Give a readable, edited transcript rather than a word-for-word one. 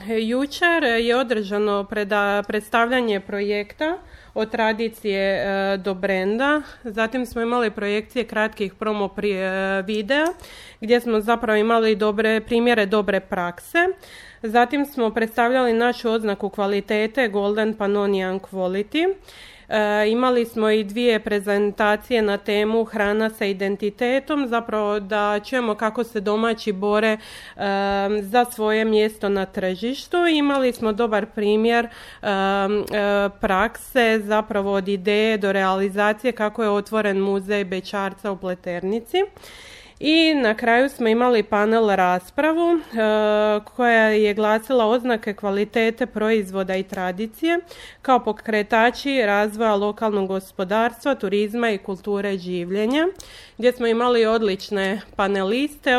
Jučer je održano predstavljanje projekta od tradicije do brenda. Zatim smo imali projekcije kratkih promo videa gdje smo zapravo imali primjere dobre prakse. Zatim smo predstavljali našu oznaku kvalitete Golden Pannonian Quality. Imali smo i 2 prezentacije na temu hrana sa identitetom, zapravo da čujemo kako se domaći bore za svoje mjesto na tržištu. Imali smo dobar primjer prakse, zapravo od ideje do realizacije kako je otvoren muzej bećarca u Pleternici. I na kraju smo imali panel raspravu koja je glasila oznake kvalitete proizvoda i tradicije kao pokretači razvoja lokalnog gospodarstva, turizma i kulture življenja, gdje smo imali odlične paneliste.